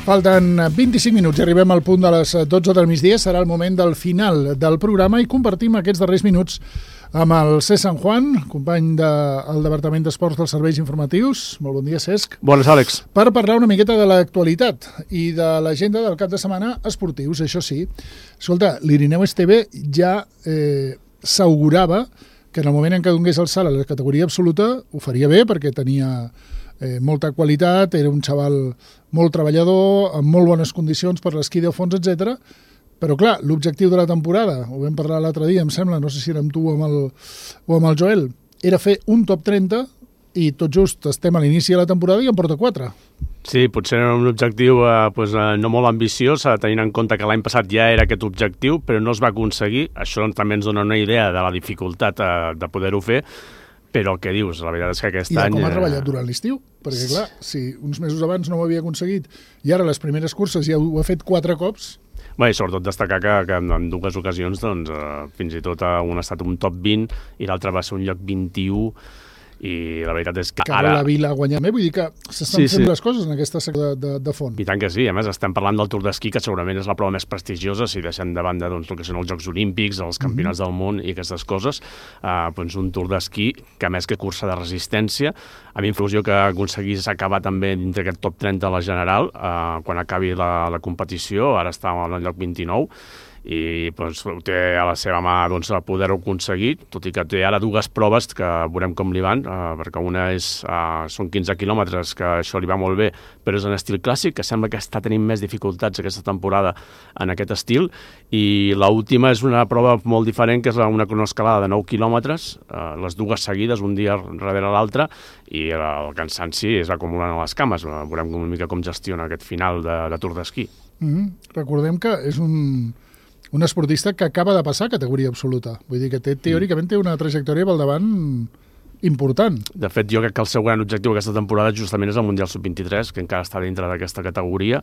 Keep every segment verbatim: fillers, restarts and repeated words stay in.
Falten vint-i-cinc minuts i arribem al punt de les dotze del migdia. Serà el moment del final del programa i compartim aquests darrers minuts amb el Cesc San Juan, company del Departament d'Esports dels Serveis Informatius. Molt bon dia, Cesc. Bones, Àlex. Per parlar una miqueta de l'actualitat i de l'agenda del cap de setmana esportius, això sí. Escolta, l'Irineu Esteve ja eh, s'augurava que en el moment en què donés el salt a la categoria absoluta ho faria bé perquè tenia eh, molta qualitat, era un xaval molt treballador, amb molt bones condicions per l'esquí de fons, etcètera. Però clar, l'objectiu de la temporada, ho vam parlar l'altre dia, em sembla, no sé si era amb tu o amb el, o amb el Joel, era fer un top trenta i tot just estem a l'inici de la temporada i en porta quatre. Sí, potser era un objectiu eh, pues, eh, no molt ambiciós, eh, tenint en compte que l'any passat ja era aquest objectiu, però no es va aconseguir. Això també ens dona una idea de la dificultat eh, de poder-ho fer, però el que dius, la veritat és que aquest any... I de any... com ha treballat durant l'estiu, perquè clar, si uns mesos abans no ho havia aconseguit i ara les primeres curses ja ho ha fet quatre cops... Bé, i sobretot destacar que, que en dues ocasions doncs, eh, fins i tot un ha estat un top vint i l'altre va ser un lloc vint-i-u i la veritat és que, que ara... Que la Vila guanyar més, vull dir que s'estan sí, fent sí. les coses en aquesta secció de, de, de font. I tant que sí, a més estem parlant del Tour d'Esquí, que segurament és la prova més prestigiosa, si deixem de banda doncs, el que són els Jocs Olímpics, els Campionats mm-hmm. del món i aquestes coses, eh, doncs un Tour d'Esquí que a més que cursa de resistència, a mi influsió que aconseguís acabar també dintre aquest top trenta a la general, eh, quan acabi la, la competició, ara està al lloc vint-i-nou, i doncs, ho té a la seva mà doncs, poder-ho aconseguir, tot i que té ara dues proves que veurem com li van, eh, perquè una és, eh, són quinze quilòmetres, que això li va molt bé, però és en estil clàssic, que sembla que està tenint més dificultats aquesta temporada en aquest estil, i l'última és una prova molt diferent, que és una cronoescalada de nou quilòmetres, eh, les dues seguides, un dia darrere l'altre, i el cansanci es va acumulant a les cames. Veurem una mica com gestiona aquest final de, de Tour d'Esquí. Mm-hmm. Recordem que és un... un esportista que acaba de passar a categoria absoluta. Vull dir que té, teòricament té una trajectòria pel davant important. De fet, jo crec que el seu gran objectiu aquesta temporada justament és el Mundial sub vint-i-tres, que encara està dintre d'aquesta categoria,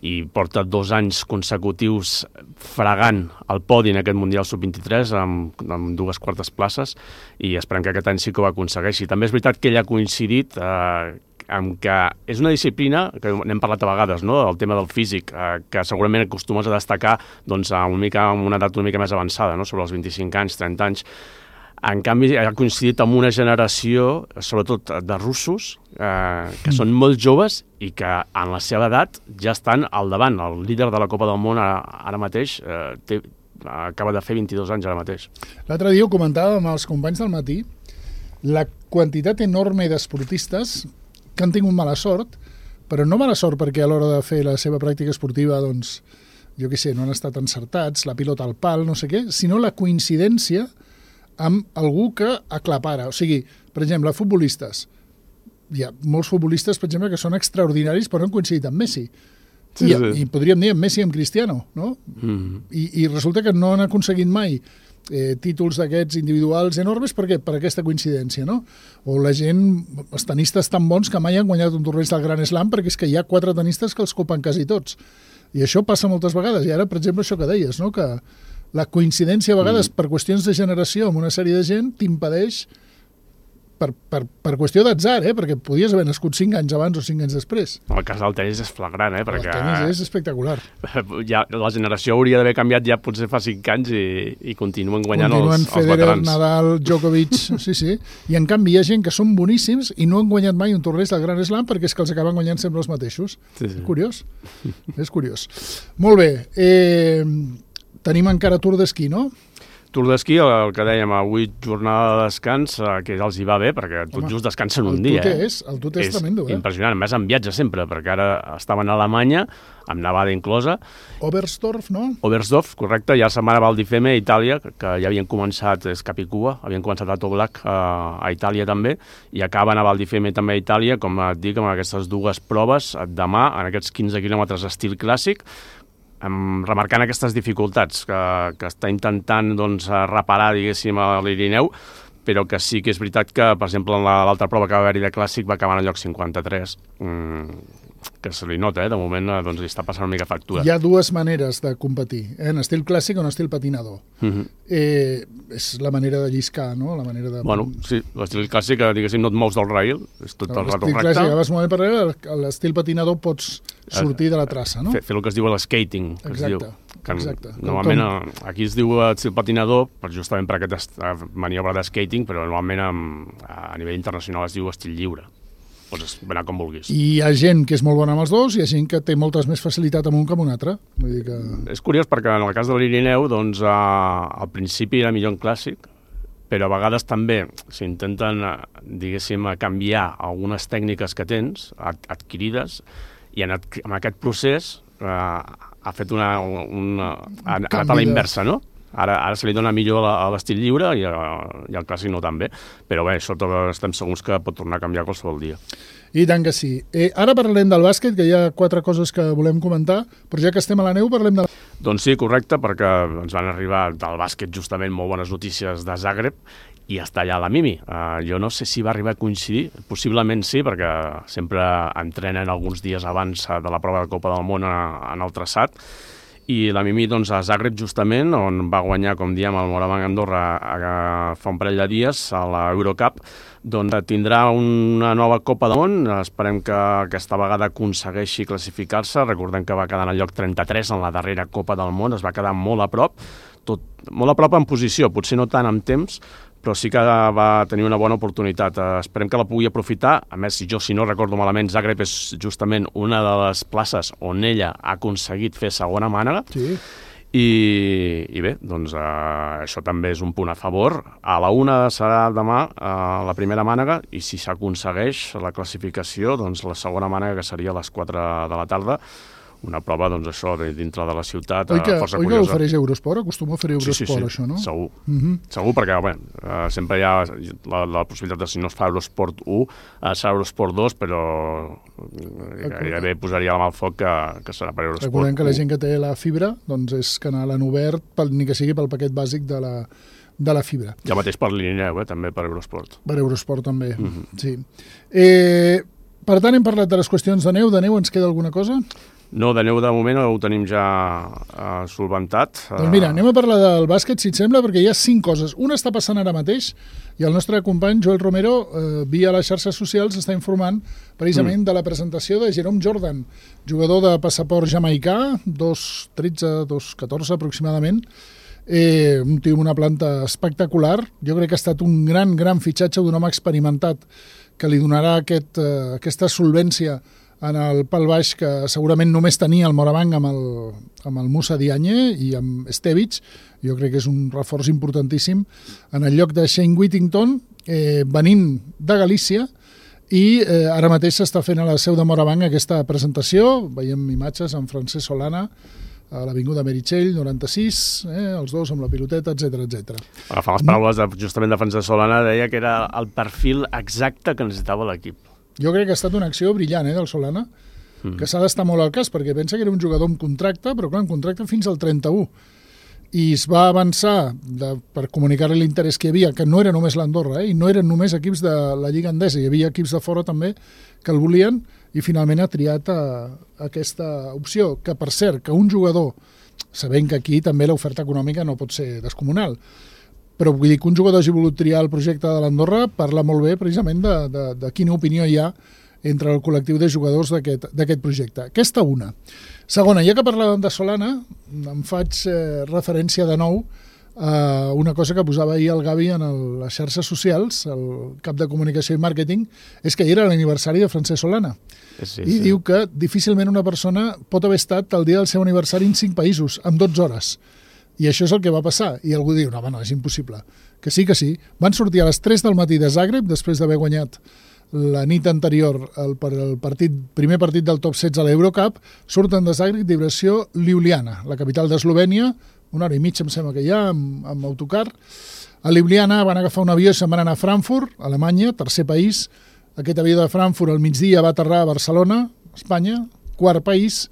i porta dos anys consecutius fregant el podi en aquest Mundial sub vint-i-tres amb, amb dues quartes places, i esperem que aquest any sí que ho aconsegueixi. També és veritat que ell ha coincidit eh, amb que és una disciplina, que n'hem parlat a vegades, no?, el tema del físic, eh, que segurament acostumes a destacar doncs, a una, mica, a una edat una mica més avançada, no?, sobre els vint-i-cinc anys, trenta anys. En canvi, ha coincidit amb una generació, sobretot de russos, eh, que són molt joves i que en la seva edat ja estan al davant. El líder de la Copa del Món ara, ara mateix eh, té, acaba de fer vint-i-dos anys ara mateix. L'altre dia ho comentàvem amb els companys del matí, la quantitat enorme d'esportistes que han tingut mala sort, però no mala sort perquè a l'hora de fer la seva pràctica esportiva, doncs, jo què sé, no han estat encertats, la pilota al pal, no sé què, sinó la coincidència amb algú que aclapara. O sigui, per exemple, futbolistes. Hi ha molts futbolistes, per exemple, que són extraordinaris però han coincidit amb Messi. Sí, I, sí. I podríem dir amb Messi i amb Cristiano, no? Mm-hmm. I, I resulta que no han aconseguit mai eh, títols d'aquests individuals enormes. Per què? Per aquesta coincidència, no? O la gent, els tenistes tan bons que mai han guanyat un torneig del Grand Slam perquè és que hi ha quatre tenistes que els copen quasi tots. I això passa moltes vegades. I ara, per exemple, això que deies, no?, que la coincidència a vegades mm. per qüestions de generació amb una sèrie de gent t'impedeix per, per, per qüestió d'atzar, eh? Perquè podies haver nascut cinc anys abans o cinc anys després. El cas del tenis és flagrant, eh? Perquè el tenis és espectacular. Ja, la generació hauria d'haver canviat ja potser fa cinc anys i, i continuen guanyant continuen els, Federer, els veterans. Nadal, Djokovic, sí, sí. I en canvi hi ha gent que són boníssims i no han guanyat mai un torneig del Grand Slam perquè és que els acaben guanyant sempre els mateixos. Sí, sí. Curiós. És curiós. Molt bé. Eh, tenim encara Tour d'Esquí, no? Tour d'Esquí, el que dèiem, avui jornada de descans, que els hi va bé, perquè tot Home, just descansen un dia. El és, el tot és, és tremendo, eh? Impressionant, a més en viatge sempre, perquè ara estaven a Alemanya, amb nevada inclosa. Oberstdorf, no? Oberstdorf, correcte, i la setmana Val di Fiemme a Itàlia, que ja havien començat, és Capicua, havien començat a Toblach a, a Itàlia també, i acaben a Val di Fiemme també a Itàlia, com et dic, amb aquestes dues proves, demà, en aquests quinze quilòmetres estil clàssic, Um, remarcant aquestes dificultats que, que està intentant doncs, reparar, diguéssim, a l'Irineu, però que sí que és veritat que, per exemple, en l'altra prova que va haver-hi de clàssic va acabar en el lloc cinquanta-tres, mm, que se li nota, eh? De moment doncs, li està passant una mica factura. Hi ha dues maneres de competir, eh? En estil clàssic o en estil patinador. Uh-huh. eh, és la manera de lliscar, no? La manera de... Bueno, sí, l'estil clàssic, diguéssim, no et mous del rail, és tot el rato recte. L'estil clàssic, vas movent per darrere, l'estil patinador pots sortir de la traça, no? Fer, fer el que es diu l'eskating, que exacte, es diu. Que exacte. Normalment, com... aquí es diu estil patinador, justament per aquesta maniobra d'skating, però normalment a nivell internacional es diu estil lliure. Pots anar com vulguis. I hi ha gent que és molt bona amb els dos i hi ha gent que té moltes més facilitat amb un que amb un altre. Vull dir que... És curiós perquè en el cas de l'Irineu, doncs, eh, al principi era millor en clàssic, però a vegades també s'intenten, diguéssim, canviar algunes tècniques que tens, adquirides, i en, en aquest procés eh, ha fet una... una ha anat a la inversa, no? Ara, ara se li dona millor a l'estil lliure i, a, i al clàssic no tan bé, però bé, això estem segurs que pot tornar a canviar qualsevol dia. I tant que sí. Eh, ara parlem del bàsquet, que hi ha quatre coses que volem comentar, però ja que estem a la neu parlem de... Doncs sí, correcte, perquè ens van arribar del bàsquet justament molt bones notícies de Zagreb i està allà la Mimi. Uh, jo no sé si va arribar a coincidir, possiblement sí, perquè sempre entrenen alguns dies abans de la prova de Copa del Món en el traçat, i la Mimi doncs, a Zagreb, justament, on va guanyar, com diem, el Moravang Andorra a, a, fa un parell de dies, a l'Eurocup, doncs tindrà una nova Copa del Món. Esperem que aquesta vegada aconsegueixi classificar-se. Recordem que va quedar en el lloc trenta-tres en la darrera Copa del Món, es va quedar molt a prop, tot, molt a prop en posició, potser no tant en temps, però sí que va tenir una bona oportunitat. Esperem que la pugui aprofitar. A més, jo, si no recordo malament, Zagreb és justament una de les places on ella ha aconseguit fer segona mànega. Sí. I, i bé, doncs eh, això també és un punt a favor. A la una serà demà eh, la primera mànega i si s'aconsegueix la classificació, doncs la segona mànega, que seria a les quatre de la tarda, una prova, doncs, això, dintre de la ciutat, oi que, força oi curiosa. Oi que ofereix Eurosport? Acostuma a oferir Eurosport, sí, sí, sí. això, no? Segur. Uh-huh. Segur, perquè, bé, uh, sempre hi ha la, la possibilitat de, si no es fa Eurosport u, uh, serà Eurosport dos, però gairebé posaria la mà al foc que, que serà per Eurosport. Recordem que la gent que té la fibra, doncs és canal en obert, pel, ni que sigui pel paquet bàsic de la, de la fibra. I el mateix per l'Irineu, eh, també per Eurosport. Per Eurosport, també, uh-huh. sí. Eh, per tant, hem parlat de les qüestions de neu. De neu ens queda alguna cosa? No, de neu de moment ho tenim ja uh, solventat. Doncs mira, anem a parlar del bàsquet, si et sembla, perquè hi ha cinc coses. Una està passant ara mateix i el nostre company Joel Romero, eh, via les xarxes socials, està informant precisament mm. de la presentació de Jerome Jordan, jugador de passaport jamaicà, dos tretze, dos catorze aproximadament, eh, un tio amb una planta espectacular. Jo crec que ha estat un gran, gran fitxatge d'un home experimentat que li donarà aquest, eh, aquesta solvència en el pal baix que segurament només tenia el Moravang amb el, amb el Moussa Diagne i amb Stevic. Jo crec que és un reforç importantíssim en el lloc de Shane Whittington, eh, venint de Galícia, i eh, ara mateix s'està fent a la seu de Moravang aquesta presentació. Veiem imatges amb Francesc Solana a l'Avinguda Meritxell, noranta-sis, eh, els dos amb la piloteta, etcètera, etcètera. Agafant les paraules de, justament de Francesc Solana, deia que era el perfil exacte que necessitava l'equip. Jo crec que ha estat una acció brillant, eh, del Solana, mm. que s'ha d'estar molt al cas, perquè pensa que era un jugador amb contracte, però clar, amb contracte fins al trenta-u. I es va avançar de, per comunicar-li l'interès que hi havia, que no era només l'Andorra, eh, i no eren només equips de la Lliga Endesa, hi havia equips de fora també que el volien, i finalment ha triat a, a aquesta opció, que per cert, que un jugador, sabent que aquí també l'oferta econòmica no pot ser descomunal, però vull dir que un jugador hagi volut triar el projecte de l'Andorra parla molt bé precisament de, de, de quina opinió hi ha entre el col·lectiu de jugadors d'aquest projecte. Aquesta una. Segona, ja que parlàvem de Solana, em faig eh, referència de nou a una cosa que posava ahir el Gavi en el, les xarxes socials, el cap de comunicació i màrqueting, és que ahir era l'aniversari de Francesc Solana. Sí, I sí. diu que difícilment una persona pot haver estat el dia del seu aniversari en cinc països, en dotze hores. I això és el que va passar. I algú diu, no, no, és impossible. Que sí, que sí. Van sortir a les tres del matí de Zagreb, després d'haver guanyat la nit anterior el, per el partit, primer partit del top setze a l'Eurocup, surten de Zagreb direcció Ljubljana, la capital d'Eslovènia, una hora i mitja em sembla que hi ha, amb, amb autocar. A Ljubljana van agafar un avió i se'n van anar a Frankfurt, Alemanya, tercer país. Aquest avió de Frankfurt al migdia va aterrar a Barcelona, Espanya, quart país,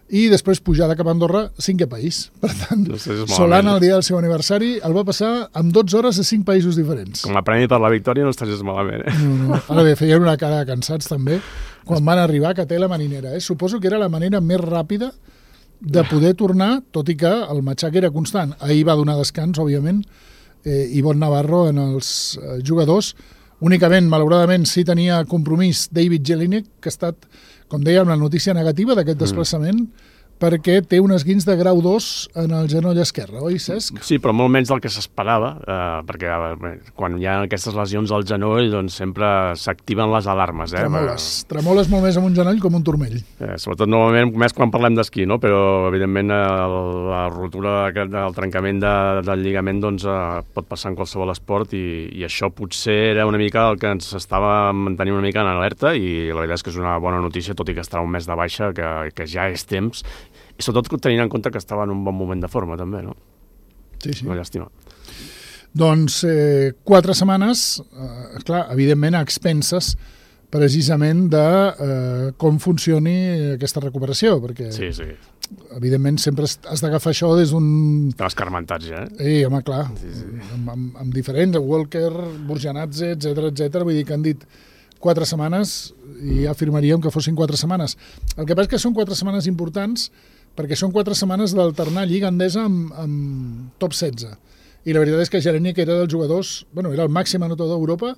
i després pujada cap a Andorra, cinquè país. Per tant, no sé, Solana, el dia del seu aniversari, el va passar amb dotze hores a cinc països diferents. Com a premi per la victòria no estàs malament, eh? No, no. Ara bé, feien una cara de cansats, també, quan van arribar a Catella Marinera. Eh? Suposo que era la manera més ràpida de poder tornar, tot i que el matxac era constant. Ahir va donar descans, òbviament, eh, Ivonne Navarro en els eh, jugadors. Únicament, malauradament, sí tenia compromís David Jelinek, que ha estat, com dèiem, la notícia negativa d'aquest desplaçament, mm. perquè té un esguins de grau dos en el genoll esquerre, oi, Cesc? Sí, però molt menys del que s'esperava, eh, perquè eh, quan hi ha aquestes lesions al genoll, doncs sempre s'activen les alarmes. Eh? Tremoles. Tremoles molt més amb un genoll com un turmell. Eh, sobretot, normalment, més quan parlem d'esquí, no? Però, evidentment, el, la rotura del trencament de, del lligament doncs, eh, pot passar en qualsevol esport i, i això potser era una mica el que ens estava mantenint una mica en alerta i la veritat és que és una bona notícia, tot i que estarà un mes de baixa, que, que ja és temps, i sobretot tenint en compte que estava en un bon moment de forma, també, no? Sí, sí. Una llàstima. Doncs eh, quatre setmanes, eh, clar, evidentment a expenses precisament de eh, com funcioni aquesta recuperació, perquè sí, sí. evidentment sempre has d'agafar això des d'un... Estan escarmentats ja, eh? Eh, home, clar, sí, sí. Amb, amb, amb diferents, Walker, Burjanadze, etcètera, etcètera, vull dir que han dit quatre setmanes i ja afirmaríem que fossin quatre setmanes. El que passa és que són quatre setmanes importants perquè són quatre setmanes d'alternar Lliga Endesa amb, amb top setze. I la veritat és que Jelinek era dels jugadors, bueno, era el màxim anotador d'Europa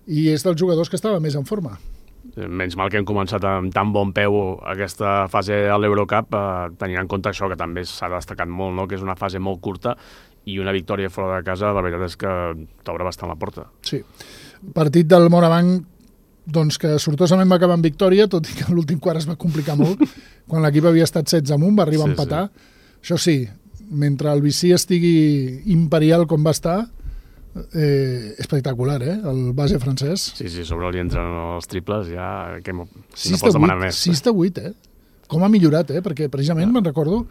i és dels jugadors que estava més en forma. Menys mal que hem començat amb tan bon peu aquesta fase de l'Eurocup, eh, tenint en compte això que també s'ha destacat molt, no? Que és una fase molt curta i una victòria fora de casa, la veritat és que t'obre bastant la porta. Sí. Partit del Morabanc doncs que sortosament va acabar en victòria, tot i que l'últim quart es va complicar molt, quan l'equip havia estat setze amunt, va arribar sí, a empatar. Sí. Això sí, mentre el Vicí estigui imperial com va estar, eh, espectacular, eh? El base francès. Sí, sí, sobre li entren els triples, ja que si no pots demanar més. sis de vuit, eh? Com ha millorat, eh? Perquè precisament ja. me'n recordo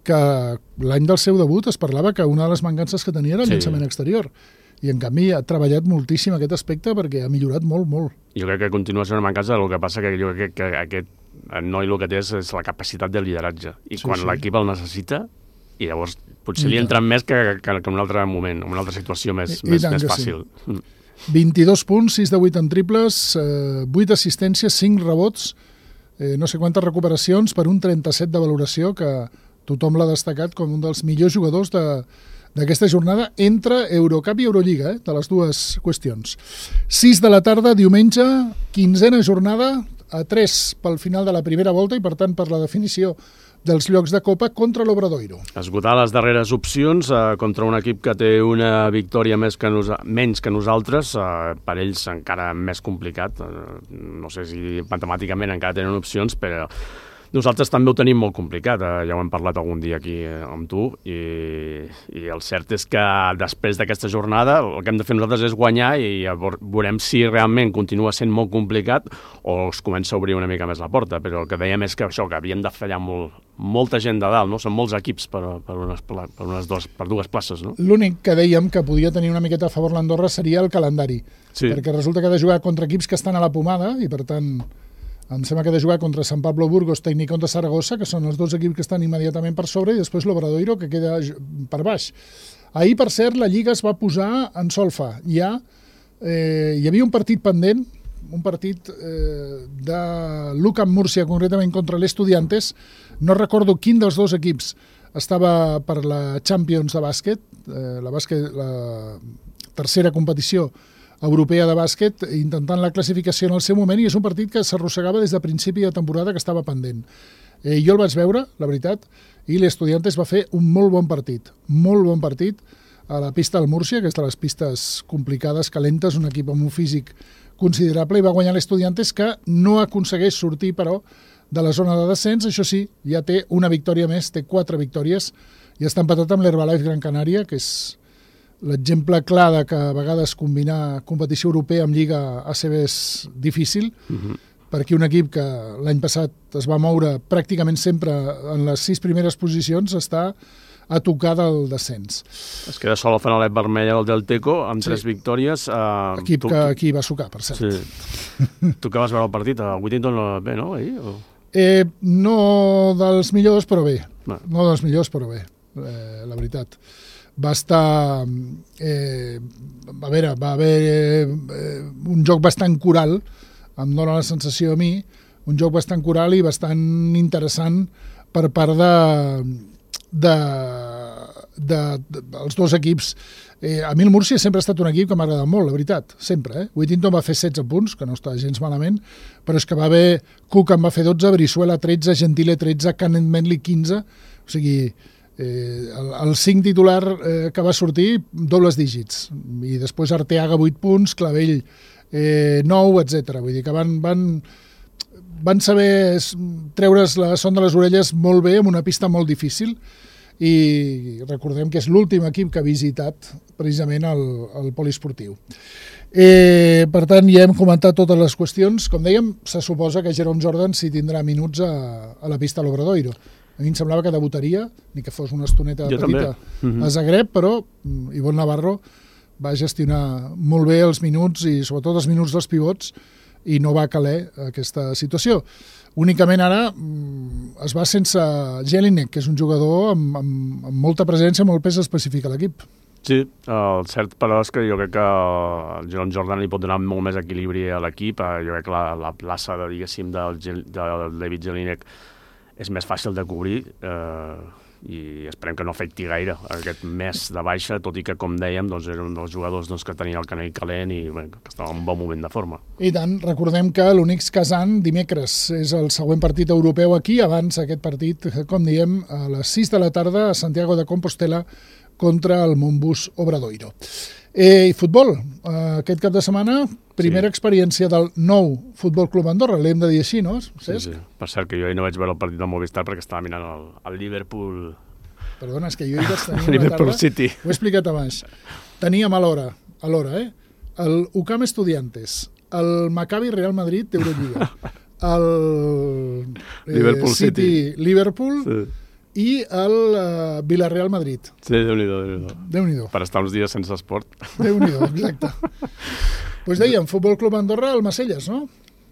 que l'any del seu debut es parlava que una de les mancances que tenia era el sí. llançament exterior. I, en canvi, ha treballat moltíssim aquest aspecte perquè ha millorat molt, molt. Jo crec que continua sent una mancança, el que passa que jo crec que aquest noi el que té és, és la capacitat de lideratge. I sí, quan sí. l'equip el necessita, i llavors potser I li entren més que, que, que en un altre moment, en una altra situació més, I, més, i més fàcil. Sí. vint-i-dos punts, sis de vuit en triples, eh, vuit assistències, cinc rebots, eh, no sé quantes recuperacions per un trenta-set de valoració, que tothom l'ha destacat com un dels millors jugadors de d'aquesta jornada entre Eurocup i Eurolliga, eh, de les dues qüestions. sis de la tarda, diumenge, quinzena jornada, a tres pel final de la primera volta i, per tant, per la definició dels llocs de Copa contra l'Obradoiro. Esgotar les darreres opcions eh, contra un equip que té una victòria més que nos menys que nosaltres, eh, per ells encara més complicat. Eh, no sé si matemàticament encara tenen opcions, però nosaltres també ho tenim molt complicat, eh? Ja ho hem parlat algun dia aquí eh, amb tu, i, i el cert és que després d'aquesta jornada el que hem de fer nosaltres és guanyar i veurem si realment continua sent molt complicat o es comença a obrir una mica més la porta, però el que dèiem és que això, que havíem de fallar molt, molta gent de dalt, no? Són molts equips per, per, unes, per, unes dos, per dues places, no? L'únic que dèiem que podia tenir una miqueta a favor l'Andorra seria el calendari, sí. perquè resulta que ha de jugar contra equips que estan a la pomada i, per tant, em sembla que ha de jugar contra Sant Pablo Burgos, Tecnicón de Saragossa, que són els dos equips que estan immediatament per sobre, i després l'Obradoiro, que queda per baix. Ahir, per cert, la Lliga es va posar en solfa. Ja eh, hi havia un partit pendent, un partit eh, de l'UCAM Múrcia, concretament contra l'Estudiantes. No recordo quin dels dos equips estava per la Champions de bàsquet, eh, la, bàsquet, la tercera competició europea de bàsquet, intentant la classificació en el seu moment, i és un partit que s'arrossegava des de principi de temporada, que estava pendent. Eh, jo el vaig veure, la veritat, i l'Estudiantes va fer un molt bon partit, molt bon partit a la pista del Múrcia, que és de les pistes complicades, calentes, un equip amb un físic considerable, i va guanyar l'Estudiantes, que no aconsegueix sortir, però, de la zona de descens. Això sí, ja té una victòria més, té quatre victòries, i està empatat amb l'Herbalife Gran Canària, que és l'exemple clar de que a vegades combinar competició europea amb Lliga A C B és difícil, uh-huh. perquè un equip que l'any passat es va moure pràcticament sempre en les sis primeres posicions està a tocar del descens. Es queda sol al fanalet vermell al Delteco, amb sí. tres victòries. Uh, Equip tu, que aquí va sucar, per cert. Sí. Tu que vas veure el partit, a Whittington bé, no? Ahir, o... Eh, no dels millors, però bé. No. No dels millors, però bé, eh, la veritat. Va estar... Eh, a veure, va haver eh, un joc bastant coral, em dóna la sensació a mi, un joc bastant coral i bastant interessant per part de, de, de, de els dos equips. Eh, a mi el Múrcia sempre ha estat un equip que m'ha agradat molt, la veritat, sempre. Eh? Whittington va fer setze punts, que no està gens malament, però és que va haver... Cook en va fer dotze, Brizuela tretze, Gentile tretze, Canet Manley quinze, o sigui, eh, el, el cinc titular eh, que va sortir, dobles dígits, i després Arteaga vuit punts, Clavell eh, nou, etcètera. Vull dir que van, van, van saber treure's la son de les orelles molt bé, en una pista molt difícil, i recordem que és l'últim equip que ha visitat precisament el, el poliesportiu. Eh, per tant, ja hem comentat totes les qüestions. Com dèiem, se suposa que Jerome Jordan sí tindrà minuts a, a la pista a l'Obradoiro. A mi em semblava que debutaria, ni que fos una estoneta jo petita mm-hmm. a Zagreb, però Ivonne Navarro va gestionar molt bé els minuts i sobretot els minuts dels pivots i no va caler aquesta situació. Únicament ara es va sense Jelinek, que és un jugador amb, amb, amb molta presència, molt pes específic a l'equip. Sí, el cert però és que jo crec que el Jerome Jordan li pot donar molt més equilibri a l'equip. Jo crec que la, la plaça, de, diguéssim, del, del David Jelinek és més fàcil de cobrir eh, i esperem que no afecti gaire aquest mes de baixa, tot i que, com dèiem, doncs, era un dels jugadors doncs, que tenia el canell calent i bé, que estava en un bon moment de forma. I tant, recordem que l'Unix Kazan dimecres és el següent partit europeu aquí, abans aquest partit, com diem, a les sis de la tarda a Santiago de Compostela contra el Montbus Obradoiro. Eh, I futbol, eh, aquest cap de setmana, primera sí. experiència del nou Futbol Club Andorra, l'hem de dir així, no, Cesc? Sí, sí. Per cert, que jo no vaig veure el partit del Movistar perquè estava mirant el, el Liverpool... Perdona, és que jo hi vaig tenir una Liverpool tarda, City. Ho he explicat abans. Teníem a l'hora, a l'hora, eh? El U C A M Estudiantes, el Maccabi Real Madrid d'Eurolliga, el eh, Liverpool City, City Liverpool... Sí. i el uh, Villarreal Madrid. Sí, Déu-n'hi-do, Déu-n'hi-do. Déu-n'hi-do. Per estar uns dies sense esport. Déu-n'hi-do, exacte. Doncs dèiem, Futbol Club Andorra, el Macelles, no?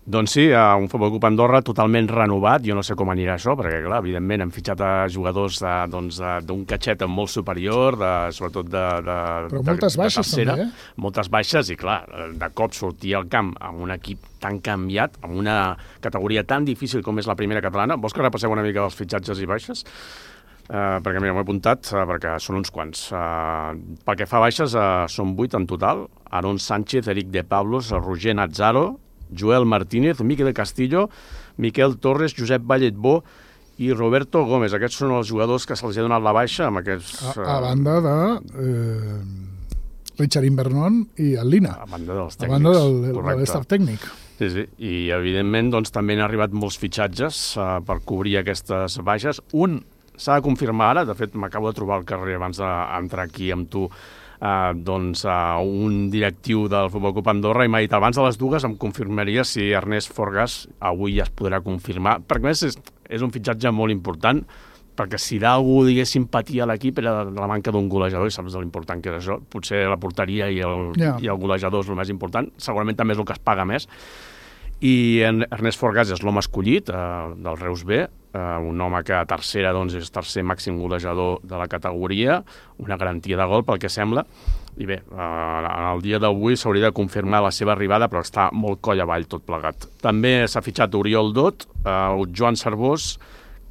Doncs sí, un Futbol Club Andorra totalment renovat. Jo no sé com anirà això, perquè, clar, evidentment hem fitxat a jugadors d'un doncs, catxet molt superior, de, sobretot de, de, Però de, moltes baixes, de tercera. també, eh? Moltes baixes, i clar, de cop sortir al camp amb un equip tan canviat, amb una categoria tan difícil com és la primera catalana. Vols que repasseu una mica els fitxatges i baixes? Uh, perquè mira, m'ho he apuntat, uh, perquè són uns quants. Uh, pel que fa a baixes, uh, són vuit en total. Aaron Sánchez, Eric de Pablos, Roger Nazzaro, Joel Martínez, Miquel Castillo, Miquel Torres, Josep Valletbó i Roberto Gómez. Aquests són els jugadors que se'ls ha donat la baixa amb aquests... A, a banda de eh, Richard Invernon i el Lina. A banda dels tècnics. A banda del, de l'estaf tècnic. Sí, sí, i evidentment doncs, també han arribat molts fitxatges uh, per cobrir aquestes baixes. Un s'ha de confirmar ara, de fet m'acabo de trobar al carrer abans d'entrar aquí amb tu, Uh, doncs uh, un directiu del Futbol Club Andorra i m'ha dit abans de les dues em confirmaria si Ernest Forgas avui ja es podrà confirmar, perquè més és, és un fitxatge molt important, perquè si d'algú diguéssim patia a l'equip era la manca d'un golejador, i saps l'important que és això, potser la porteria i el, yeah. i el golejador és el més important, segurament també és el que es paga més. I Ernest Forgas és l'home escollit uh, del Reus B, uh, un home que a tercera doncs, és tercer màxim golejador de la categoria, una garantia de gol pel que sembla, i bé, uh, en el dia d'avui s'hauria de confirmar la seva arribada, però està molt coll avall tot plegat. També s'ha fitxat Oriol Dot, uh, Joan Cervós,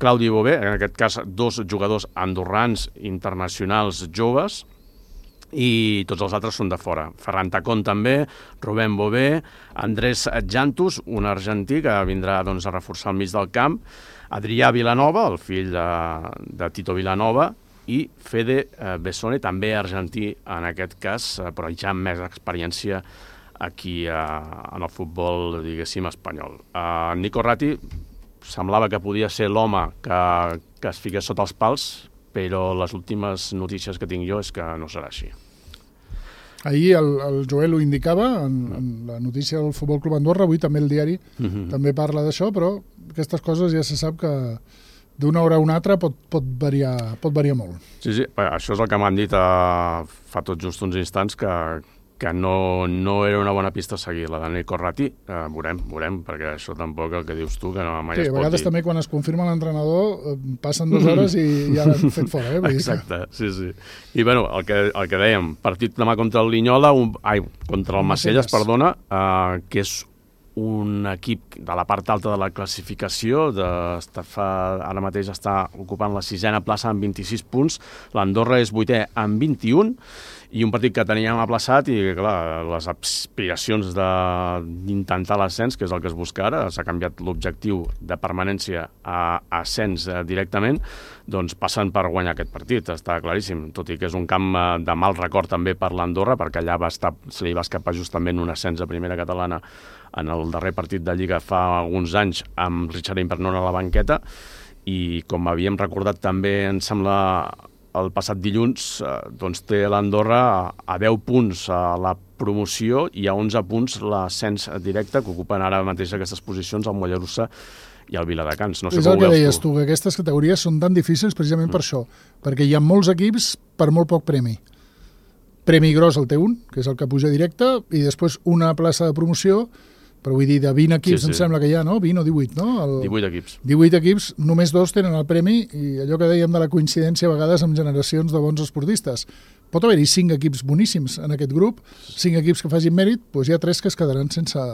Claudi Bové, en aquest cas dos jugadors andorrans internacionals joves, i tots els altres són de fora. Ferran Tacón també, Rubén Bové, Andrés Jantus, un argentí que vindrà doncs, a reforçar el mig del camp, Adrià Vilanova, el fill de, de Tito Vilanova, i Fede Bessone, també argentí en aquest cas, però ja amb més experiència aquí eh, en el futbol, diguéssim, espanyol. Eh, Nico Ratti semblava que podia ser l'home que, que es fiqués sota els pals, però les últimes notícies que tinc jo és que no serà així. Ahir el, el Joel ho indicava en, en la notícia del Futbol Club Andorra, avui també el diari mm-hmm. també parla d'això, però aquestes coses ja se sap que d'una hora a una altra pot, pot, variar, pot variar molt. Sí, sí, això és el que m'han dit uh, fa tot just uns instants, que, que no, no era una bona pista a seguir, la Dani Corrati, eh, veurem, veurem, perquè això tampoc el que dius tu, que no mai sí, es pot dir. Sí, a vegades també quan es confirma l'entrenador passen dues hores i ja l'han fet fora. Eh? Exacte, sí, sí. I bueno, el que, el que dèiem, partit demà contra el Linyola, un, ai, contra el Macelles, perdona, eh, que és un equip de la part alta de la classificació, de, fa, ara mateix està ocupant la sisena plaça amb vint-i-sis punts, l'Andorra és vuitè amb vint-i-un, i un partit que teníem aplaçat i, clar, les aspiracions d'intentar l'ascens, que és el que es busca ara, s'ha canviat l'objectiu de permanència a ascens directament, doncs passen per guanyar aquest partit, està claríssim, tot i que és un camp de mal record també per l'Andorra, perquè allà va estar, se li va escapar justament un ascens a primera catalana en el darrer partit de Lliga fa alguns anys amb Richard Impernon a la banqueta, i com havíem recordat també, em sembla, el passat dilluns, eh, doncs té l'Andorra a deu punts a la promoció i a onze punts l'ascens directe, que ocupen ara mateix aquestes posicions el Mollerussa i el Viladecans. No sé és el que deies tu, que aquestes categories són tan difícils precisament mm. per això, perquè hi ha molts equips per molt poc premi. Premi gros el té un, que és el que puja directe, i després una plaça de promoció, però vull dir, de vint equips, sí, sí. Em sembla que hi ha, no? vint o divuit, no? El... divuit equips. divuit equips, només dos tenen el premi, i allò que dèiem de la coincidència a vegades amb generacions de bons esportistes. Pot haver-hi cinc equips boníssims en aquest grup, cinc equips que facin mèrit, doncs hi ha tres que es quedaran sense,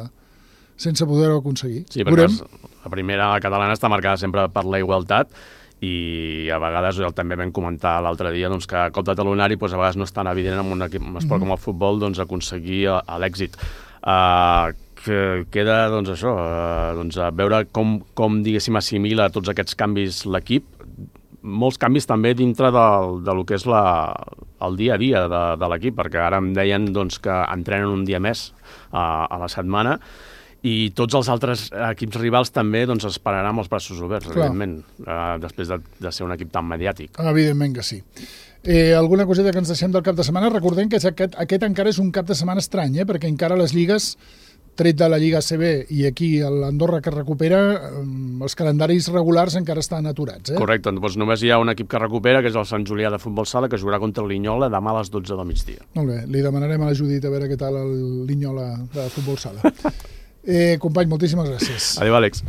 sense poder-ho aconseguir. Sí, perquè la primera catalana està marcada sempre per la igualtat, i a vegades també vam comentar l'altre dia doncs, que a cop de talonari doncs, a vegades no és tan evident en un, equip, un esport mm. com el futbol doncs, aconseguir l'èxit. Uh, que queda doncs, això, uh, doncs, a veure com, com diguéssim, assimila tots aquests canvis l'equip, molts canvis també dintre del, de lo que és la, el dia a dia de, de l'equip, perquè ara em deien doncs, que entrenen un dia més uh, a la setmana, i tots els altres equips rivals també doncs, esperaran amb els braços oberts, Clar. evidentment, uh, després de, de ser un equip tan mediàtic. Evidentment que sí. Eh, alguna coseta que ens deixem del cap de setmana? Recordem que aquest, aquest encara és un cap de setmana estrany, eh? Perquè encara les lligues, tret de la Lliga A C B i aquí l'Andorra que recupera, els calendaris regulars encara estan aturats. Eh? Correcte, doncs només hi ha un equip que recupera, que és el Sant Julià de Futbol Sala, que jugarà contra el Linyola demà a les dotze del migdia. Molt bé, li demanarem a la Judit a veure què tal el Linyola de Futbol Sala. eh, company, moltíssimes gràcies. Adéu, Àlex.